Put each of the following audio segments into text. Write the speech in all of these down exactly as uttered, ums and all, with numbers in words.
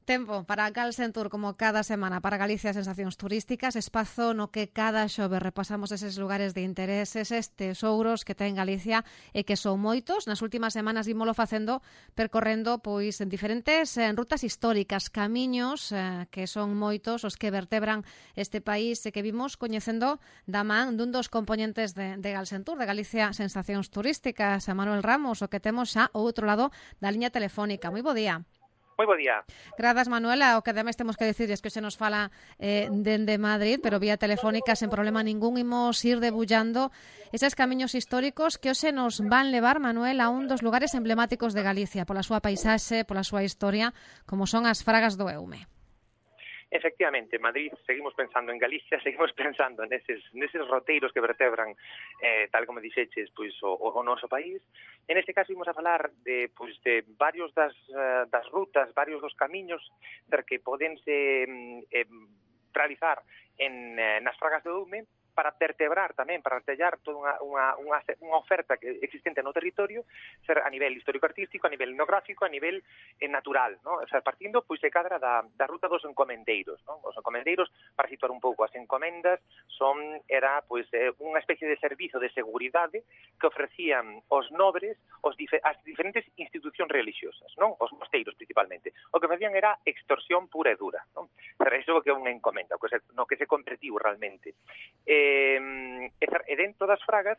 Tempo para Galsentur, como cada semana, para Galicia Sensacións Turísticas, espazo no que cada xove repasamos eses lugares de intereses, estes tesouros que ten Galicia e que son moitos. Nas últimas semanas ímolo facendo percorrendo pois en diferentes en rutas históricas, camiños eh, que son moitos os que vertebran este país e que vimos coñecendo da man dun dos componentes de, de Galsentur, de Galicia Sensacións Turísticas, a Manuel Ramos, o que temos xa ao outro lado da liña telefónica. Moi bo día. Moi bo día. Grazas, Manuela. O que ademais temos que decir é que se nos fala eh, dende Madrid, pero vía telefónica, sen problema ningún, imos ir debullando eses camiños históricos que hoxe nos van levar, Manuel, a un dos lugares emblemáticos de Galicia, pola súa paisaxe, pola súa historia, como son as Fragas do Eume. Efectivamente, Madrid, seguimos pensando en Galicia, seguimos pensando neses, neses roteiros que vertebran, eh, tal como dixeches, pois, o, o noso país. En este caso, imos a falar de, pois, de varios das, uh, das rutas, varios dos camiños que podense eh, realizar en, eh, nas Fragas do Eume, para vertebrar tamén, para artellar toda unha, unha, unha, unha oferta que existente no territorio, ser a nivel histórico-artístico, a nivel etnográfico, a nivel eh, natural, ¿no? O sea, partindo pois de cadra da, da ruta dos encomendeiros, ¿no? Os encomendeiros, para situar un pouco, as encomendas son, era pois eh, unha especie de servizo de seguridade que ofrecían os nobres os dife, as diferentes institucións religiosas, ¿no? Os mosteiros principalmente. O que facían era extorsión pura e dura, ¿no? Pero iso que é unha encomenda, que se, no que se convertiu realmente. Eh, e dentro das Fragas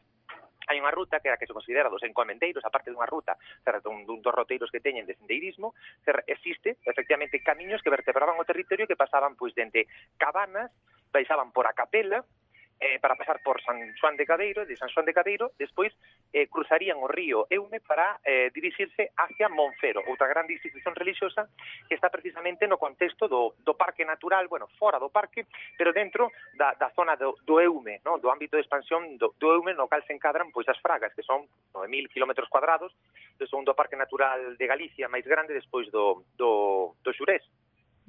hai unha ruta que é a que se considera dos encomendeiros, aparte dunha ruta, dun, dun dos roteiros que teñen de sendeirismo, existe, efectivamente, camiños que vertebraban o territorio que pasaban pois dende Cabanas, baixaban por a Capela, eh, para pasar por San Xoán de Cadeiro, de San Xoán de Cadeiro, despois eh, cruzarían o río Eume para eh, dirixirse hacia Monfero, outra grande institución religiosa que está precisamente no contexto do, do parque natural, bueno, fora do parque, pero dentro da, da zona do, do Eume, no? Do ámbito de expansión do, do Eume, no cal se encadran pois as Fragas, que son nove mil kilómetros cuadrados, do segundo parque natural de Galicia máis grande despois do, do, do Xurés.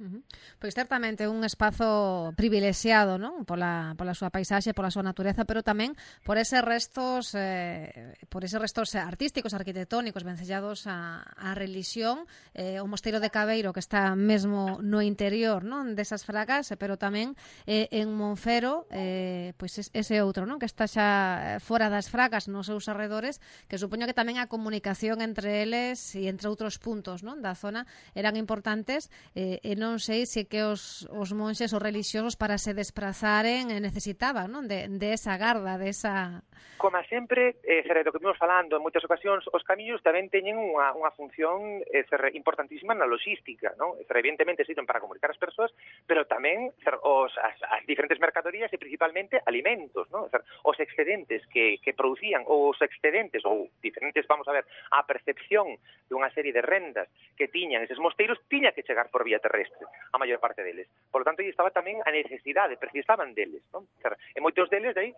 Uh-huh. Pois certamente un espazo privilexiado, non? Pola, pola súa paisaxe, pola súa natureza, pero tamén por eses restos eh, por eses restos artísticos, arquitectónicos vencellados a, a religión, eh, o mosteiro de Cabeiro que está mesmo no interior, non, desas Fragas, pero tamén eh, en Monfero, eh, pois ese outro, non, que está xa fora das Fragas, nos seus arredores, que supoño que tamén a comunicación entre eles e entre outros puntos, non, da zona eran importantes, eh, e non non sei se que os, os monxes ou religiosos para se desplazaren necesitaban, non? De, de esa garda, de esa... Como sempre, eh, do que vimos falando en moitas ocasións, os camiños tamén teñen unha, unha función eh, ser, importantísima na logística, non? Ser, evidentemente sirven para comunicar as persoas, pero tamén ser, os, as, as diferentes mercadorías e principalmente alimentos, non? Ser, os excedentes que, que producían, ou os excedentes, ou diferentes, vamos a ver, a percepción dunha serie de rendas que tiñan eses mosteiros, tiña que chegar por vía terrestre a maior parte deles. Por lo tanto, aí estaba tamén a necesidade, precisaban deles, non? E moitos deles, aí,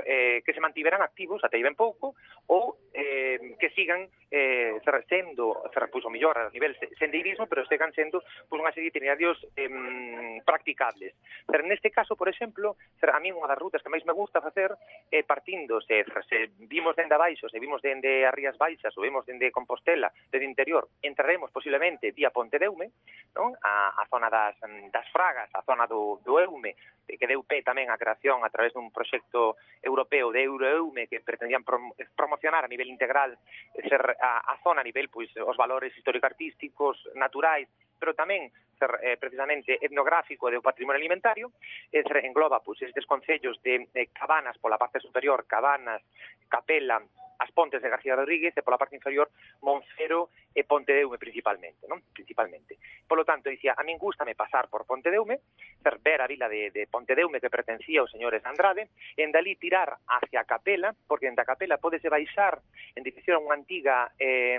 eh, que se mantiveran activos até ben pouco, ou eh, que sigan eh, sendo, pois, o mellor a nivel sendeirismo, pero sigan sendo pois, unha serie de itinerarios eh, practicables. Pero neste caso, por exemplo, a mí unha das rutas que máis me gusta facer é eh, partindo, se, se vimos dende abaixo, se vimos dende as Rías Baixas, ou vimos dende Compostela, dende interior, entraremos posiblemente vía Ponte de Eume, non? A, a zona das, das Fragas, a zona do, do Eume, que deu pé tamén a creación a través dun proxecto europeo de Euroeume que pretendían prom promocionar a nivel integral ser a, a zona a nivel, pois, os valores histórico-artísticos, naturais, pero tamén ser eh, precisamente etnográfico e do patrimonio alimentario, e ser, engloba pois, estes concellos de, de Cabanas pola parte superior, Cabanas, Capela, as Pontes de García Rodríguez e pola parte inferior Monfero e Ponte de Eume principalmente, non? Principalmente. Por lo tanto, dicía, a min gústame pasar por Ponte de Eume, ver a vila de, de Ponte de Eume que pertencía aos señores Andrade, e en dalí tirar hacia Capela, porque en da Capela podese baixar en dirección a unha antiga eh,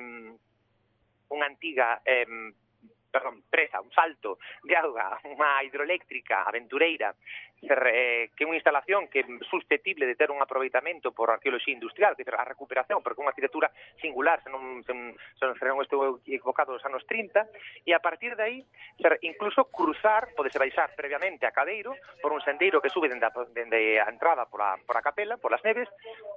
unha antiga eh, perdón, presa, un salto de auga, unha hidroeléctrica aventureira, ser, eh, que é unha instalación que é susceptible de ter un aproveitamento por arqueoloxía industrial, que é a recuperación, porque é unha arquitectura singular, se non, se, se non estou equivocado dos anos trinta, e a partir de aí, ser, incluso cruzar, podese baixar previamente a Cadeiro, por un sendeiro que sube dende a, dende a entrada por a, por a Capela, por las neves,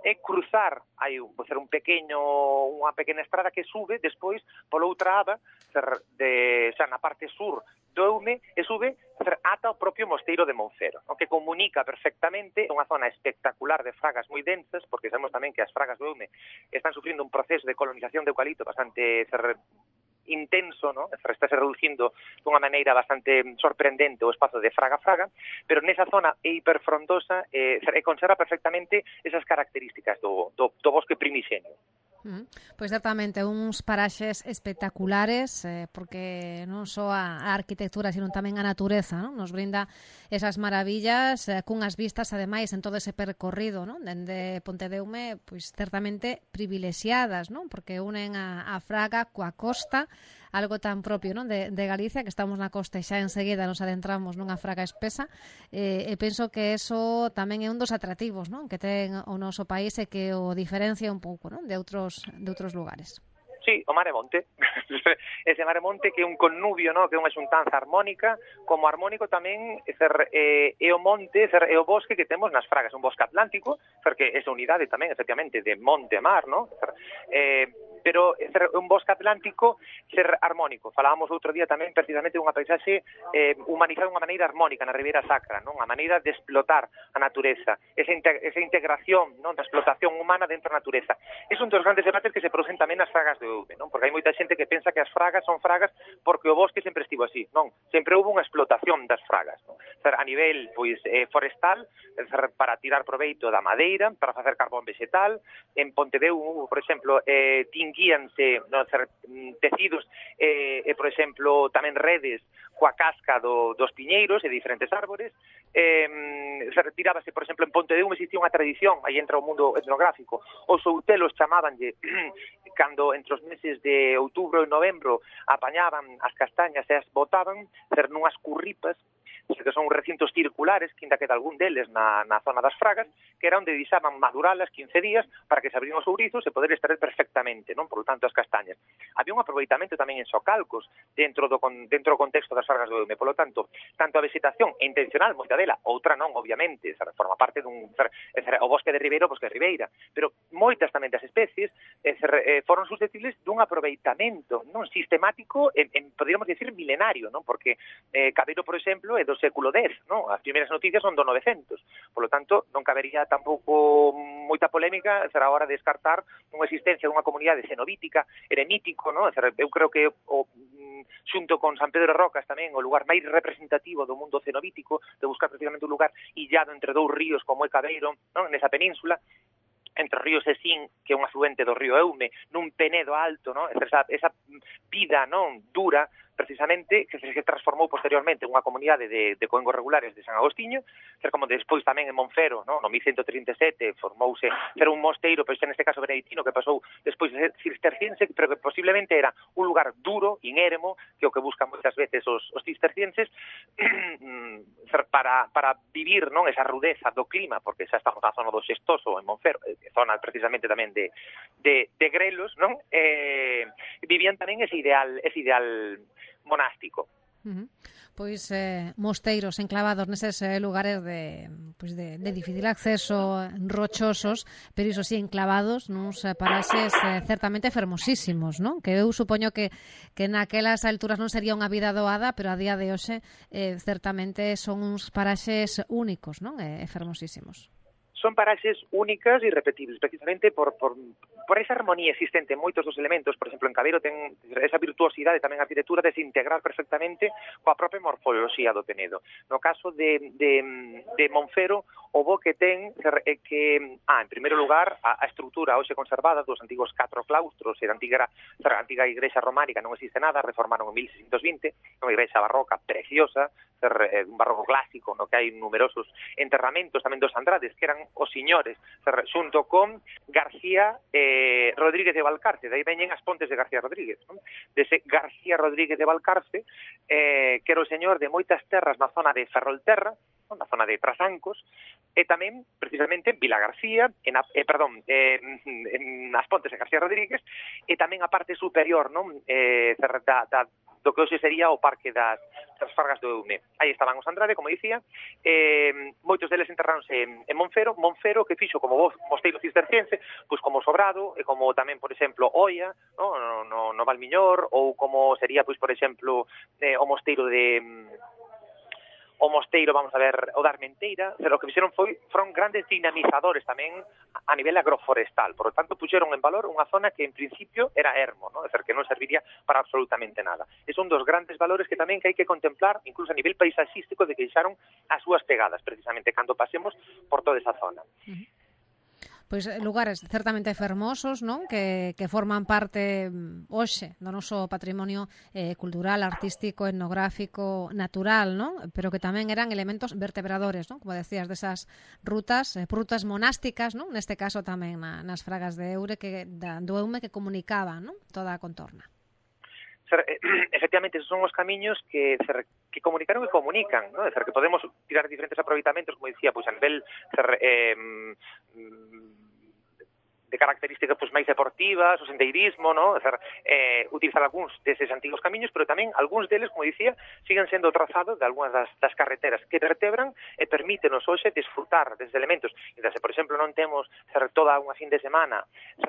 e cruzar, hai ser un pequeno, unha pequena estrada que sube, despois, pola outra aba, ser, de, xa na parte sur do Eume e sube ata o propio mosteiro de Monfero, no? Que comunica perfectamente unha zona espectacular de fragas moi densas, porque sabemos tamén que as fragas do Eume están sufrindo un proceso de colonización de eucalipto bastante intenso, ¿no? Está se reducindo dunha maneira bastante sorprendente o espazo de fraga-fraga, pero nesa zona é hiperfrondosa e eh, conserva perfectamente esas características do, do, do bosque primixenio. Mm. Pois certamente uns paraxes espectaculares, eh, porque non só a, a arquitectura, sino tamén a natureza, non? Nos brinda esas maravillas eh, cunhas vistas, ademais, en todo ese percorrido, non? Dende Pontedeume, pois certamente privilexiadas, non? Porque unen a, a Fraga coa costa, algo tan propio, non? De, de Galicia, que estamos na costa e xa enseguida nos adentramos nunha fraga espesa, eh, e penso que eso tamén é un dos atractivos, non? Que ten o noso país e que o diferencia un pouco, non? De outros de outros lugares. Sí, o Mare Monte. Ese Mare Monte que é un connubio, no? Que é unha xuntanza armónica, como armónico tamén ser, eh, é o monte, ser, é o bosque que temos nas fragas, un bosque atlántico, porque esa unidade tamén, efectivamente, de monte a mar, no? Ser, eh, pero ser un bosque atlántico ser armónico. Falábamos outro día tamén precisamente dunha paisaxe eh, humanizada dunha maneira armónica na Ribeira Sacra, non? A maneira de explotar a natureza, esa, integ esa integración, non? Da explotación humana dentro da natureza. É un dos grandes debates que se producen tamén nas fragas de Eume, non? Porque hai moita xente que pensa que as fragas son fragas porque o bosque sempre estivo así, non? Sempre houve unha explotación das fragas, non? Ser, a nivel pois eh, forestal, ser, para tirar proveito da madeira, para facer carbón vegetal. En Pontedeu, por exemplo, eh, tinguíanse no, ser, tecidos e, eh, por exemplo, tamén redes coa casca do, dos piñeiros e diferentes árbores. Eh, se retirábase, por exemplo, en Pontedeu existía unha tradición, aí entra o mundo etnográfico, os outelos chamábanlle cando entre os meses de outubro e novembro apañaban as castañas e as botaban, ser nunhas curripas, que son recintos circulares, que ainda queda algún deles na, na zona das fragas, que era onde deixaban maduralas quince días para que se abrían os ourizos e poder extraer perfectamente, non? Por lo tanto, as castañas. Había un aproveitamento tamén en socalcos dentro do, dentro do contexto das fragas do Eume. Por lo tanto, tanto a vegetación é intencional, moita dela, outra non, obviamente, forma parte dun... O bosque de Ribeiro, o bosque de Ribeira, pero moitas tamén das especies eh, foron susceptibles dun aproveitamento non sistemático, en, en, poderíamos decir, milenario, non? Porque eh, Cabeiro, por exemplo, é do século dez, non? As primeiras noticias son do novecentos. Por lo tanto, non cabería tampouco moita polémica ser a hora de descartar unha existencia dunha comunidade cenobítica, eremítico, non? Eu creo que o xunto con San Pedro de Rocas tamén o lugar máis representativo do mundo cenobítico, de buscar precisamente un lugar illado entre dous ríos como é Cabeiro, non? Nesa península, entre o río Sesín, que é un afluente do río Eume, nun penedo alto, non? Esa, esa vida, non? Dura, precisamente, que se transformou posteriormente unha comunidade de, de coengos regulares de San Agostiño, ser como despois tamén en Monfero, no, no mil ciento trinta e sete, formouse ser un mosteiro, pero neste caso beneditino, que pasou despois de ser cisterciense, pero que posiblemente era un lugar duro, inéremo, que é o que buscan moitas veces os, os cistercienses, para, para vivir, non, esa rudeza do clima, porque xa estamos na zona do Xestoso, en Monfero, zona precisamente tamén de, de, de grelos, non? Eh, vivían tamén ese ideal, ese ideal monástico. Uh-huh. Pois eh, mosteiros enclavados neses eh, lugares de, pois de, de difícil acceso, rochosos, pero iso sí, enclavados nuns eh, paraxes eh, certamente fermosísimos, non? Que eu supoño que, que naquelas alturas non sería unha vida doada, pero a día de hoxe eh, certamente son uns paraxes únicos, non? E eh, fermosísimos. Son paraxes únicas e irrepetibles, precisamente por, por, por esa armonía existente en moitos dos elementos. Por exemplo, en Cabeiro ten esa virtuosidade tamén a arquitectura de se integrar perfectamente coa propia morfoloxía do Penedo. No caso de, de, de Monfero, o bo que ten é que, ah, en primeiro lugar, a, a estrutura hoxe conservada dos antigos catro claustros e da antiga, a antiga igrexa románica non existe nada, reformaron en mil seiscentos vinte, unha igrexa barroca preciosa, un barroco clásico, no que hai numerosos enterramentos tamén dos Andrades, que eran os señores, xunto con García eh, Rodríguez de Valcarce, de aí veñen as pontes de García Rodríguez, non? Dese García Rodríguez de Valcarce, eh, que era o señor de moitas terras na zona de Ferrolterra, non? Na zona de Trasancos, e tamén, precisamente, en Vila García, en, a, eh, perdón, eh, en As Pontes de García Rodríguez, e tamén a parte superior, non? Eh, da, da, do que hoxe sería o Parque das, das Fargas do Eume. Aí estaban os Andrade, como dicía, eh, moitos deles enterráronse en, en Monfero, Monfero que fixo como mosteiro cisterciense, pois como Sobrado, e como tamén, por exemplo, Oia, no, no, no, no Valmiñor, ou como sería, pois, por exemplo, eh, o mosteiro de... o mosteiro, vamos a ver, o da Armenteira, pero o que fixeron foi, foron grandes dinamizadores tamén a nivel agroforestal, por lo tanto, puxeron en valor unha zona que en principio era ermo, ¿no? É dicir, que non serviría para absolutamente nada. E son dos grandes valores que tamén que hai que contemplar, incluso a nivel paisaxístico, de que deixaron as súas pegadas, precisamente, cando pasemos por toda esa zona. Uh-huh. Pois lugares certamente fermosos, non? Que, que forman parte hoxe do noso patrimonio eh, cultural, artístico, etnográfico, natural, non? Pero que tamén eran elementos vertebradores, non? Como decías, desas rutas, eh, rutas monásticas, non? Neste caso tamén na, nas Fragas de Eure, que, da, do Eume, que comunicaban, non? Toda a contorna. Efectivamente, esos son os camiños que, que comunicaron e comunican, ¿no? É dicir, que podemos tirar diferentes aproveitamentos, como dicía, pois a nivel eh, de características pois máis deportivas, o sendeirismo, ¿no? É dicir, eh, utilizar algúns deses antigos camiños, pero tamén algúns deles, como dicía, siguen sendo trazados de algunhas das, das carreteras que vertebran e permítenos hoxe desfrutar desde elementos. E se, por exemplo, non temos ser, toda unha fin de semana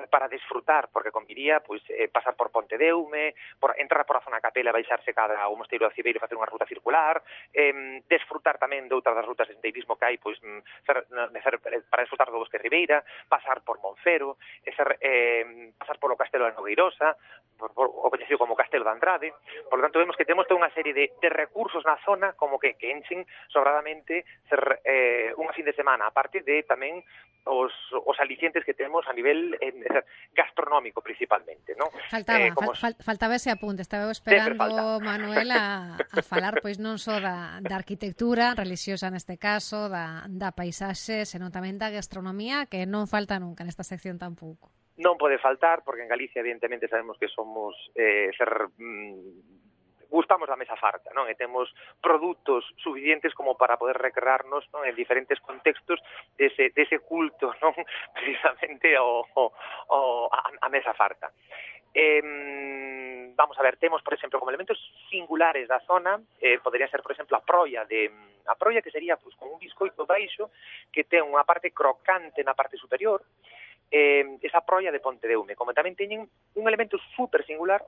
para desfrutar, porque conviría pois, eh, pasar por Ponte de Eume, por entrar por a zona Capela, baixarse cada o Mosteiro da Cibeiro e facer unha ruta circular, eh, desfrutar tamén de outras das rutas de sendeirismo que hai, pois, ser, ser, para desfrutar do Bosque Ribeira, pasar por Monfero, e ser, eh, pasar polo Castelo de Nogueirosa, por, por, o coñecido como Castelo de Andrade. Por lo tanto, vemos que temos toda unha serie de, de recursos na zona como que, que enchen sobradamente ser eh, unha fin de semana, aparte de tamén os, os alicientes que temos a nivel eh, gastronómico principalmente, ¿no? Faltaba, eh, como... fal, faltaba ese apunte, estaba esperando, Manuel, a, a falar pois non só da, da arquitectura religiosa neste caso, da, da paisaxe, senón tamén da gastronomía, que non falta nunca nesta sección tampouco. Non pode faltar, porque en Galicia evidentemente sabemos que somos eh, ser... Mm, gustamos da mesa farta, non? E temos produtos suficientes como para poder recrearnos, non? En diferentes contextos dese, dese culto, non? Precisamente o, o, o, a, a mesa farta. Eh, vamos a ver, temos, por exemplo, como elementos singulares da zona, eh, podría ser, por exemplo, a proia de a proia que sería pues, como un biscoito baixo que ten unha parte crocante na parte superior, eh, esa proia de Ponte de Eume, como tamén teñen un elemento super singular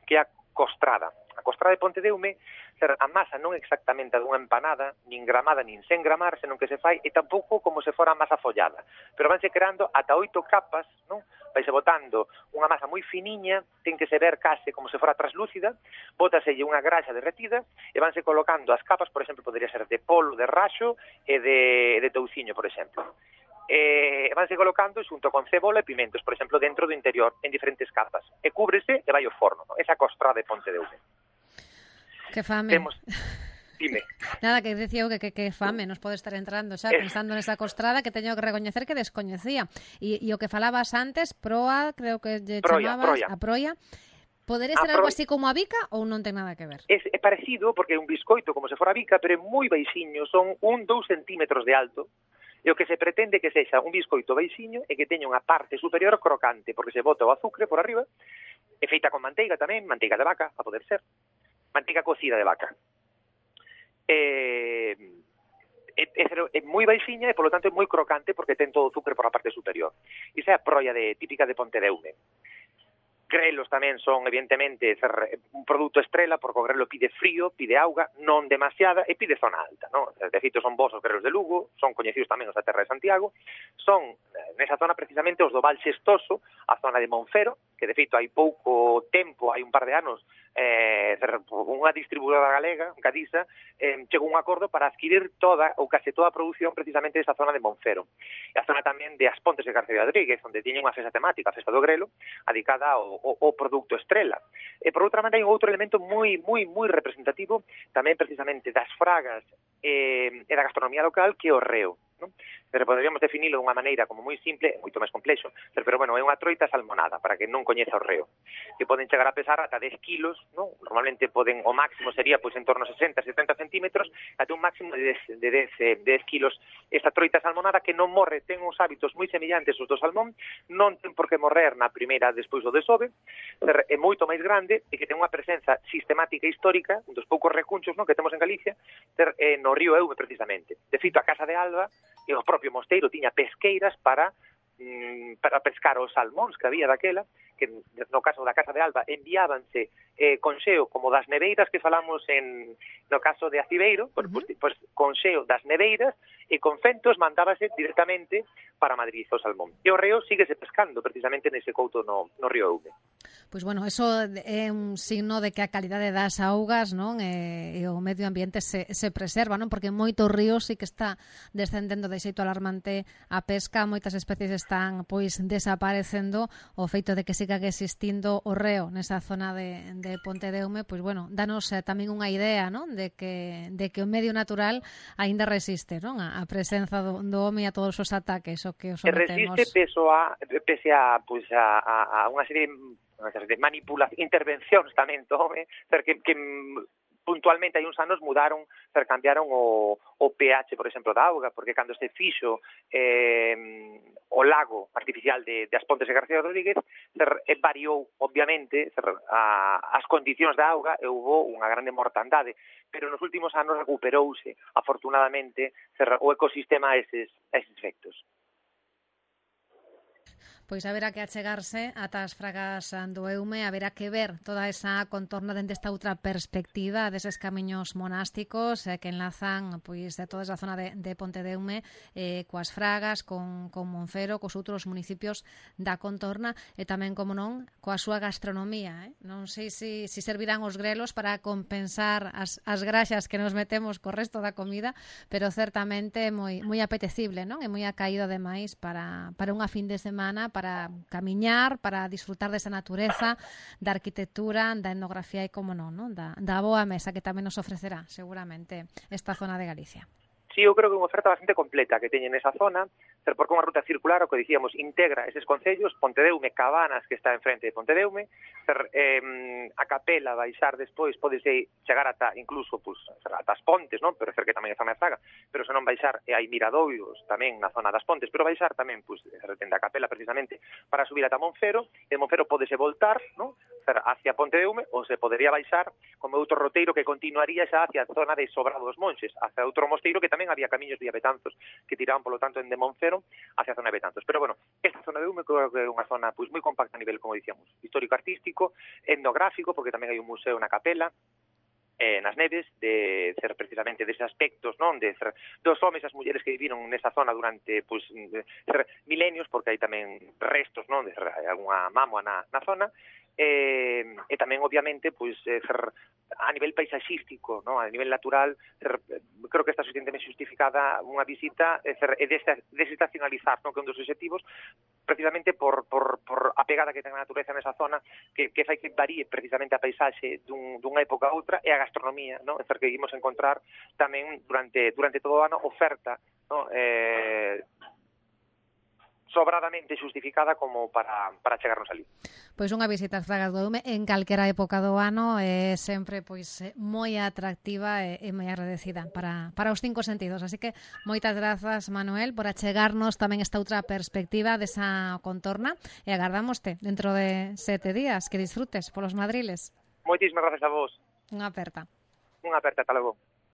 que é a costrada. A costrada de Ponte de Eume, a masa non exactamente a dunha empanada, nin gramada, nin sen gramar, senón que se fai, e tampouco como se fora masa follada. Pero vanse creando ata oito capas, non? Vaise botando unha masa moi finiña, ten que se ver case como se fora traslúcida, bótaselle unha graxa derretida, e vanse colocando as capas, por exemplo, podría ser de polo, de raxo e de, de touciño, por exemplo. E vanse colocando xunto con cebola e pimentos, por exemplo, dentro do interior, en diferentes capas. E cúbrese e vai ao forno, ¿no? Esa costrada de Ponte de Eume. Que fame. Temos... Dime. Nada, que decía eu que, que, que fame nos pode estar entrando xa es... pensando nesa costrada que teño que recoñecer que descoñecía. E, e o que falabas antes, proa, creo que lle proia, chamabas proia. a proia, podería ser algo así como a bica ou non ten nada que ver? É, é parecido, porque é un biscoito como se fora a bica, pero é moi baixiño, son un, dous centímetros de alto, e o que se pretende que sexa un biscoito baixiño e que teña unha parte superior crocante, porque se bota o azúcar por arriba, é feita con manteiga tamén, manteiga de vaca, a poder ser, manteiga cocida de vaca. É, é, é, é moi baixiña e, polo tanto, é moi crocante porque ten todo o azúcar por a parte superior. Iso é a proia de, típica de Ponte de Eume. Grelos tamén son, evidentemente, un produto estrela, porque o grelo pide frío, pide auga, non demasiada, e pide zona alta, non? De feito, son vos os grelos de Lugo, son coñecidos tamén os da terra de Santiago, son, nesa zona, precisamente, os do Val Xestoso, a zona de Monfero, que, de feito, hai pouco tempo, hai un par de anos, eh, unha distribuidora galega, Cadisa, eh, chegou un acordo para adquirir toda, ou case toda a produción, precisamente, desa zona de Monfero. E a zona tamén de As Pontes de García Rodríguez, onde tiñen unha festa temática, a festa do grelo, adicada ao O, o produto estrela. E por outra maneira hai outro elemento moi moi moi representativo tamén precisamente das fragas eh, e da gastronomía local, que é o reo, non? pero poderíamos definilo dunha maneira como moi simple, moito máis complexo, pero, pero bueno, é unha troita salmonada, para que non coñeza o reo, que poden chegar a pesar ata dez kilos, non? Normalmente poden, o máximo sería pois en torno a sesenta a setenta centímetros, ata un máximo de dez, de dez, de dez kilos. Esta troita salmonada que non morre, ten uns hábitos moi semillantes aos do salmón, non ten por que morrer na primeira despois do desove, é moito máis grande e que ten unha presenza sistemática e histórica, un dos poucos recunchos, non, que temos en Galicia, ter, eh, no río Eume precisamente. De feito, a Casa de Alba e o propio mosteiro tiña pesqueiras para mm, para pescar os salmóns que había daquela, que no caso da Casa de Alba enviábanse eh, conxeo como das neveiras que falamos en no caso de Acibeiro, pues, pues, pues conxeo das neveiras e con fentos mandábase directamente para Madrid o salmón. E o reo síguese pescando precisamente nese couto no, no río Eume. Pois bueno, eso é un signo de que a calidade das augas, non, e, e o medio ambiente se, se preserva, non? Porque moitos ríos sí que está descendendo de xeito alarmante a pesca, moitas especies están pois desaparecendo, o feito de que siga existindo o reo nesa zona de, de Ponte de Eume, pois bueno, danos eh, tamén unha idea, non, de que de que o medio natural aínda resiste, non, a, a presenza do, do home e a todos os ataques o que os sometemos. Resiste peso a, pese a, pois a, a, a unha serie de manipulacións, intervencións tamén do home, que, que puntualmente hai uns anos mudaron, cambiaron o, o pH, por exemplo, da auga, porque cando se fixo eh, o lago artificial de, de As Pontes de García Rodríguez, ser, variou, obviamente, ser, a, as condicións da auga e houve unha grande mortandade, pero nos últimos anos recuperouse, afortunadamente, ser, o ecosistema a eses, a eses efectos. Pois haberá que achegarse ata as fragas do Eume, haberá que ver toda esa contorna dende esta outra perspectiva deses camiños monásticos eh, que enlazan pois de toda esa zona de, de Ponte de Eume eh, coas fragas, con, con Monfero, cos outros municipios da contorna e tamén, como non, coa súa gastronomía. Eh? Non sei se si, si servirán os grelos para compensar as, as graxas que nos metemos co resto da comida, pero certamente moi, moi apetecible, non? E moi acaído ademais para, para unha fin de semana, para camiñar, para disfrutar desa natureza, da arquitectura, da etnografía e, como non, non? Da, da boa mesa que tamén nos ofrecerá seguramente esta zona de Galicia. Sí, eu creo que é unha oferta bastante completa que teñen nesa zona, porque unha ruta circular, o que dicíamos, integra eses concellos, Ponte de Eume, Cabanas, que está enfrente de Ponte de Eume, ser, eh, a Capela, baixar despois, podese chegar ata, incluso, pues, ata as Pontes, non? Pero ser que tamén é zona de Zaga, pero se non baixar, e hai miradoiros tamén na zona das Pontes, pero baixar tamén, pues, tende a Capela precisamente para subir ata Monfero, e de Monfero podese voltar, non? Hacia Ponte de Eume, ou se podería baixar como outro roteiro que continuaría xa hacia a zona de Sobrado dos Monxes, hacia outro mosteiro que tamén había camiños de Betanzos que tiraban, polo tanto, en de Monfero hacia a zona de Betanzos. Pero, bueno, esta zona de Eume creo que é unha zona pois moi compacta a nivel, como dicíamos, histórico-artístico, etnográfico, porque tamén hai un museo na Capela, eh, nas neves, de ser precisamente deses aspectos, non, de ser dos homes e as mulleres que viviron nesa zona durante, pois, ser milenios, porque hai tamén restos, non, de ser algunha mámoa na, na zona, e, e tamén, obviamente, pois, ser a nivel paisaxístico, non, a nivel natural, ser, creo que está suficientemente justificada unha visita e, ser, e desestacionalizar, non, que é un dos objetivos, precisamente por, por, por a pegada que ten a natureza nesa zona, que, que fai que varíe precisamente a paisaxe dun, dunha época a outra, e a gastronomía, non, é ser, que imos encontrar tamén durante, durante todo o ano oferta, non, eh, sobradamente justificada como para, para chegarnos ali. Pois unha visita ás Fragas do Eume en calquera época do ano é sempre pois moi atractiva e, e moi agradecida para, para os cinco sentidos. Así que moitas grazas, Manuel, por achegarnos tamén esta outra perspectiva desa contorna e agardámoste dentro de sete días. Que disfrutes polos Madriles. Moitísimas grazas a vos. Unha aperta. Unha aperta, ata logo.